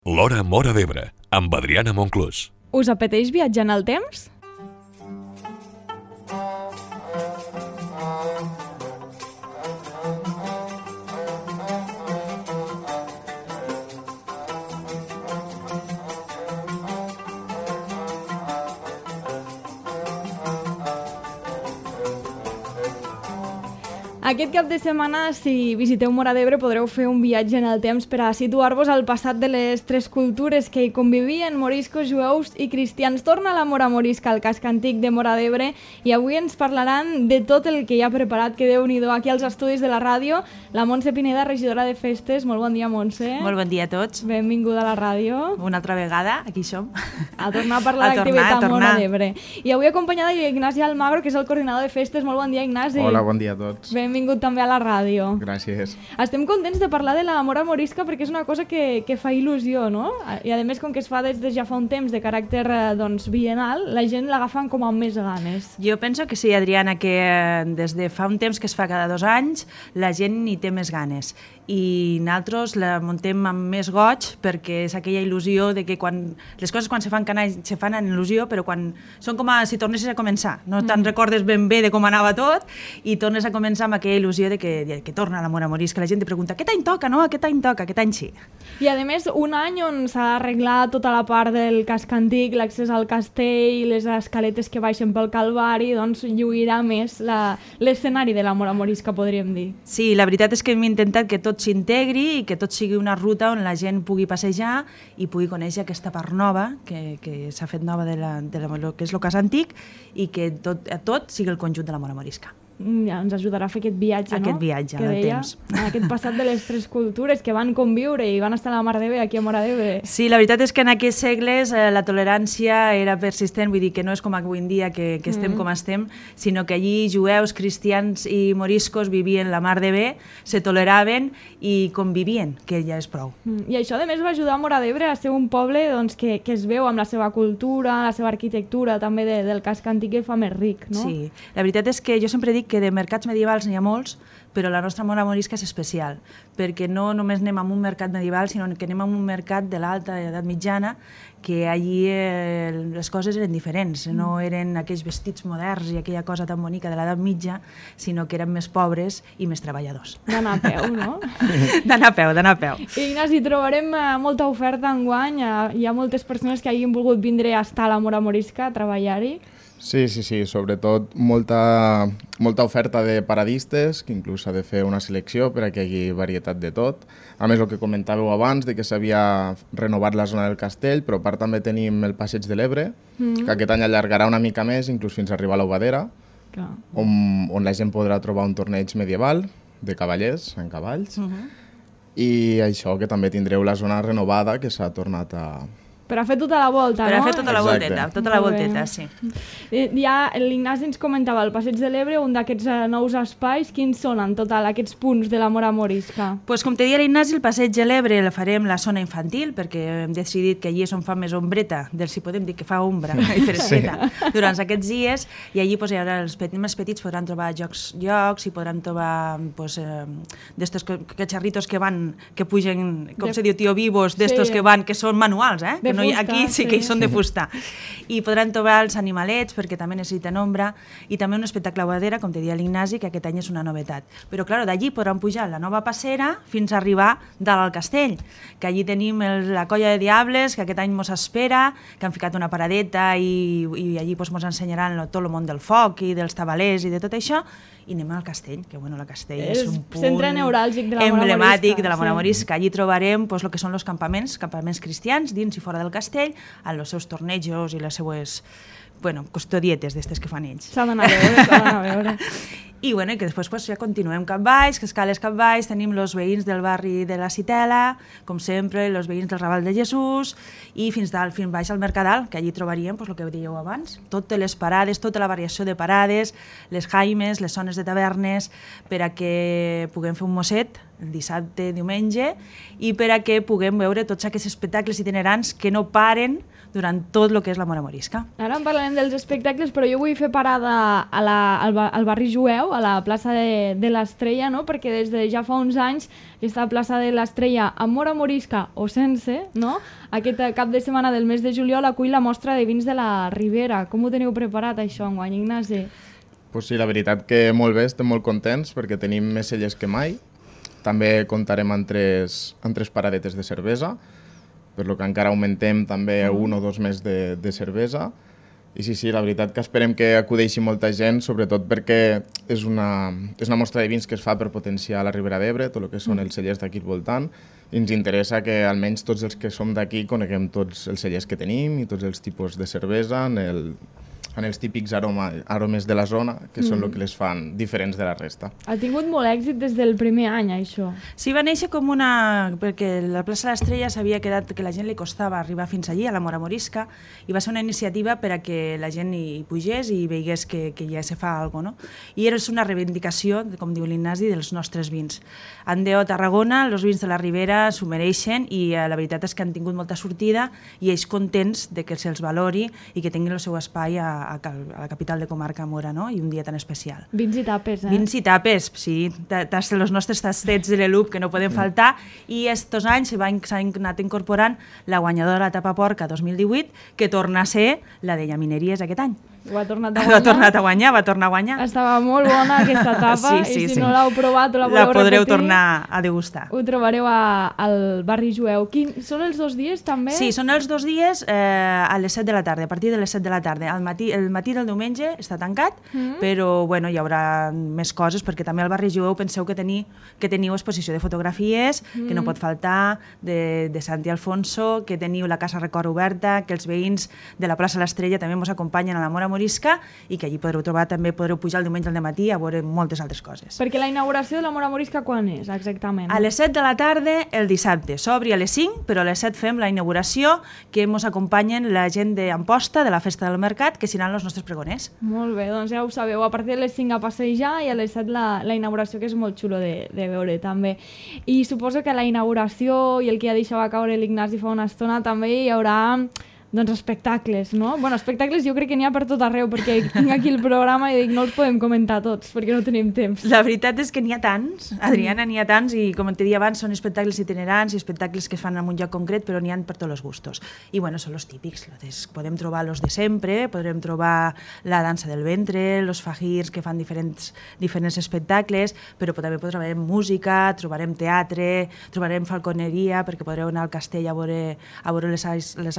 L'Hora Móra d'Ebre, amb Adriana Monclús. Us apeteix viatjar en el temps? Aquest cap de setmana, si visiteu Móra d'Ebre, podreu fer un viatge en el temps per a situar-vos al passat de les tres cultures que hi convivien, moriscos, jueus i cristians. Torna la Mora Morisca al casc antic de Móra d'Ebre i avui ens parlaran de tot el que hi ha preparat, que Déu-n'hi-do, aquí als estudis de la ràdio. La Montse Pineda, regidora de festes. Molt bon dia, Montse. Molt bon dia a tots. Benvinguda a la ràdio. Una altra vegada, aquí som. A tornar a parlar d'activitat a Móra d'Ebre. I avui acompanyada d'Ignasi Almagro, que és el coordinador de festes. Molt bon dia, Ignasi. Hola, bon dia a tots. Benvingut també a la ràdio. Gràcies. Estem contents de parlar de la Mora Morisca perquè és una cosa que fa il·lusió, no? I a més, com que es fa des de ja fa un temps de caràcter bienal, la gent l'agafen com amb més ganes. Jo penso que sí, Adriana, que des de fa un temps que es fa cada 2 anys, la gent hi té més ganes. I nosaltres la muntem amb més goig perquè és aquella il·lusió de que les coses quan se fan se fan en il·lusió, però quan són com si tornessis a començar. No te'n recordes ben bé de com anava tot i tornes a començar amb aquella il·lusió de que torna la Mora Morisca. La gent te pregunta, aquest any toca, no? Aquest any toca, aquest any sí. I a més, un any on s'ha arreglat tota la part del casc antic, l'accés al castell, les escaletes que baixen pel Calvari, doncs lluirà més l'escenari de la Mora Morisca, podríem dir. Sí, la veritat és que hem intentat que tot s'integri i que tot sigui una ruta on la gent pugui passejar i pugui conèixer aquesta part nova que s'ha fet nova de lo que és el cas antic i que tot sigui el conjunt de la Mora Morisca. Ja ens ajudarà a fer aquest viatge, no? Aquest viatge en el temps. Aquest passat de les tres cultures que van conviure i van estar a la mar d'Ebre, aquí a Móra d'Ebre. Sí, la veritat és que en aquests segles la tolerància era persistent, vull dir que no és com avui en dia que estem com estem, sinó que allí jueus, cristians i moriscos vivien la mar d'Ebre, se toleraven i convivien, que ja és prou. I això, a més, va ajudar a Móra d'Ebre a ser un poble que es veu amb la seva cultura, la seva arquitectura, també del casc antic que fa més ric, no? Sí, la veritat és que jo sempre dic que de mercats medievals n'hi ha molts, però la nostra Mora Morisca és especial, perquè no només anem a un mercat medieval, sinó que anem a un mercat de l'alta edat mitjana, que allí les coses eren diferents, no eren aquells vestits moderns i aquella cosa tan bonica de l'edat mitja, sinó que eren més pobres i més treballadors. D'anar a peu, no? D'anar a peu. Ignasi, trobarem molta oferta enguany, hi ha moltes persones que hagin volgut vindre a estar a la Mora Morisca, a treballar-hi. Sí, sobretot molta oferta de paradistes, que inclús s'ha de fer una selecció per a que hi hagi varietat de tot. A més, el que comentàveu abans, de que s'havia renovat la zona del castell, però a part també tenim el Passeig de l'Ebre, que aquest any allargarà una mica més, inclús fins a arribar a l'Obadera, on la gent podrà trobar un torneig medieval de cavallers en cavalls, i això, que també tindreu la zona renovada, que s'ha tornat a... Per a fer tota la volta, no? Per a fer tota la volteta, sí. Ja l'Ignasi ens comentava el Passeig de l'Ebre, un d'aquests nous espais, quins són en total aquests punts de la Mora Morisca? Pues, com te deia l'Ignasi, el Passeig de l'Ebre el farem la zona infantil, perquè hem decidit que allí és on fa més ombreta, si podem dir que fa ombra i fresqueta, durant aquests dies, i allí pues, els més petits podran trobar jocs i podran trobar d'estos catxarritos que pugen, com se diu, tio vivos, d'estos que són manuals, que aquí sí que hi són de fusta. I podran trobar els animalets, perquè també necessiten ombra, i també un espectacle Obadera, com te deia l'Ignasi, que aquest any és una novetat. Però, clar, d'allí podran pujar la nova passera fins a arribar dalt al castell, que allí tenim la colla de diables, que aquest any mos espera, que han ficat una paradeta i allí mos ensenyaran tot el món del foc i dels tabalers i de tot això, i anem al castell, que el castell és un punt centre neuràlgic de la Mora emblemàtic Morisca, de la Mora Morisca. Allí trobarem el que són els campaments cristians, dins i fora del castell, amb els seus tornejos i les seues custodietes d'estes que fan ells. S'ha d'anar a veure. I que després ja continuem cap baix, que escales cap baix, tenim els veïns del barri de la Citela, com sempre, els veïns del Raval de Jesús, i fins baix al Mercadal, que allí trobaríem el que dèieu abans, totes les parades, tota la variació de parades, les jaimes, les zones de tavernes, per a que puguem fer un mosset dissabte, diumenge, i per a que puguem veure tots aquests espectacles itinerants que no paren durant tot el que és la Mora Morisca. Ara en parlarem dels espectacles, però jo vull fer parada al barri jueu, a la plaça de l'Estrella, no? Perquè des de ja fa uns anys aquesta plaça de l'Estrella, amb Mora Morisca o sense, no? Aquest cap de setmana del mes de juliol acull la mostra de vins de la Ribera. Com ho teniu preparat, això, enguany, Ignasi? Pues sí, la veritat que molt bé, estem molt contents perquè tenim més cellers que mai. També comptarem amb tres paradetes de cervesa, per lo que encara augmentem també 1 o 2 més de cervesa. I sí, la veritat que esperem que acudeixi molta gent, sobretot perquè és una mostra de vins que es fa per potenciar la Ribera d'Ebre, tot el que són els cellers d'aquí al voltant, i ens interessa que almenys tots els que som d'aquí coneguem tots els cellers que tenim i tots els tipus de cervesa en els típics aromes de la zona, que són el que les fan diferents de la resta. Ha tingut molt èxit des del primer any, això. Sí, va néixer com perquè la plaça de l'Estrella s'havia quedat que la gent li costava arribar fins allí, a la Mora Morisca, i va ser una iniciativa per a que la gent hi pugés i veigués que ja se fa alguna cosa, no? I és una reivindicació, com diu l'Ignasi, dels nostres vins. Andeo, Tarragona, els vins de la Ribera s'ho mereixen i la veritat és que han tingut molta sortida i ells contents de que se'ls valori i que tinguin el seu espai a la capital de comarca Mora, no? I un dia tan especial. Vins i tapes, Vins i tapes, sí. Els nostres tastets de l'ELUP que no poden faltar, i estos anys s'han anat incorporant la guanyadora de la tapa porca 2018, que torna a ser la de Llamineries aquest any. Ho ha tornat a guanyar. Va tornar a guanyar. Estava molt bona aquesta tapa, i si no l'heu provat o la voleu repetir, la podreu tornar a degustar. Ho trobareu al barri jueu. Són els 2 dies, també? Sí, són els 2 dies a les 7 de la tarda, a partir de les 7 de la tarda. El matí del diumenge està tancat, però bueno, hi haurà més coses, perquè també al barri jueu penseu que teniu exposició de fotografies, que no pot faltar, de Santi Alfonso, que teniu la Casa Record oberta, que els veïns de la plaça l'Estrella també ens acompanyen a la Mora Morisca, i que allí podreu pujar el diumenge al matí a veure moltes altres coses. Perquè la inauguració de la Mora Morisca quan és, exactament? A les 7 de la tarda el dissabte. S'obri a les 5, però a les 7 fem la inauguració, que ens acompanyen la gent d'Amposta, de la Festa del Mercat, que seran els nostres pregoners. Molt bé, doncs ja ho sabeu. A partir de les 5 a passejar i a les 7 la inauguració, que és molt xulo de veure també. I suposo que a la inauguració i el que ja deixava caure l'Ignasi fa una estona també hi haurà espectacles, no? Bueno, espectacles jo crec que n'hi ha per tot arreu, perquè tinc aquí el programa i dic no els podem comentar tots, perquè no tenim temps. La veritat és que n'hi ha tants, Adriana, n'hi ha tants, i com t'he dit abans, són espectacles itinerants i espectacles que es fan en un lloc concret, però n'hi ha per tots els gustos. I bueno, són els típics, podem trobar los de sempre, podrem trobar la dansa del ventre, los fajirs que fan diferents espectacles, però també trobarem música, trobarem teatre, trobarem falconeria, perquè podreu anar al castell a veure les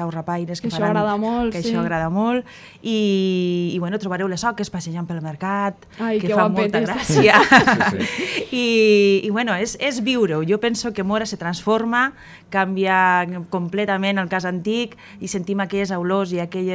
aus rapaires, que això agrada molt, això agrada molt, i bueno, trobareu les oques passejant pel mercat, que fa molta gràcia. I bueno, és viure-ho. Jo penso que Mora se transforma, canvia completament el cas antic, i sentim aquelles olors i aquell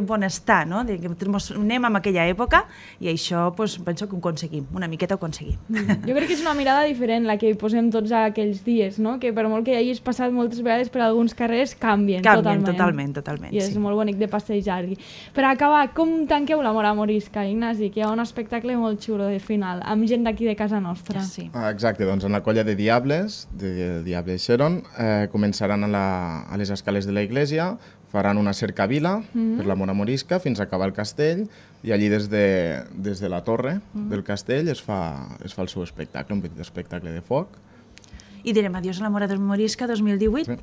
bon estar, no? Que anem a aquella època, i això penso que ho aconseguim, una miqueta ho aconseguim. Jo crec que és una mirada diferent la que hi posem tots aquells dies, no? Que per molt que hagis passat moltes vegades per alguns carrers, canvien totalment. I és molt bonic de passejar-hi. Per acabar, com tanqueu la Mora Morisca, Ignasi? Que hi ha un espectacle molt xulo de final, amb gent d'aquí de casa nostra. Sí. Exacte, doncs en la colla de Diables, de Diables Xeron, començaran a les escales de la iglesia, faran una cercavila per la Mora Morisca fins a acabar el castell, i allí des de la torre del castell es fa el seu espectacle, un petit espectacle de foc. I direm adiós a la Mora Morisca 2018. Sí.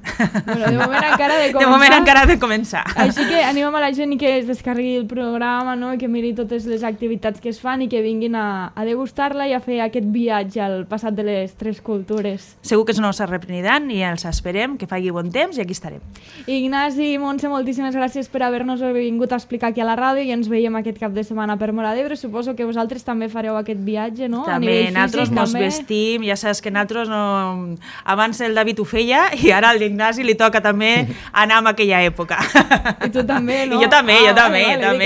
Bueno, de moment encara de començar. De moment encara de començar. Així que animem a la gent que es descarregui el programa, no? I que miri totes les activitats que es fan i que vinguin a degustar-la i a fer aquest viatge al passat de les 3 cultures. Segur que no s'arrepeniran i els esperem, que faci bon temps, i aquí estarem. Ignasi i Montse, moltíssimes gràcies per haver-nos vingut a explicar aquí a la ràdio, i ens veiem aquest cap de setmana per Mora d'Ebre. Suposo que vosaltres també fareu aquest viatge, no? També, nosaltres mos vestim, ja saps que nosaltres no... Abans el David ho feia i ara a l'Ignasi li toca també anar en aquella època. I tu també, no? I jo també.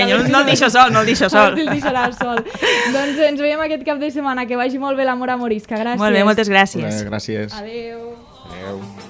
Jo no el deixo sol. No el deixaràs sol. Doncs ens veiem aquest cap de setmana. Que vagi molt bé la Mora Morisca. Gràcies. Molt bé, moltes gràcies. Gràcies. Adéu. Adéu.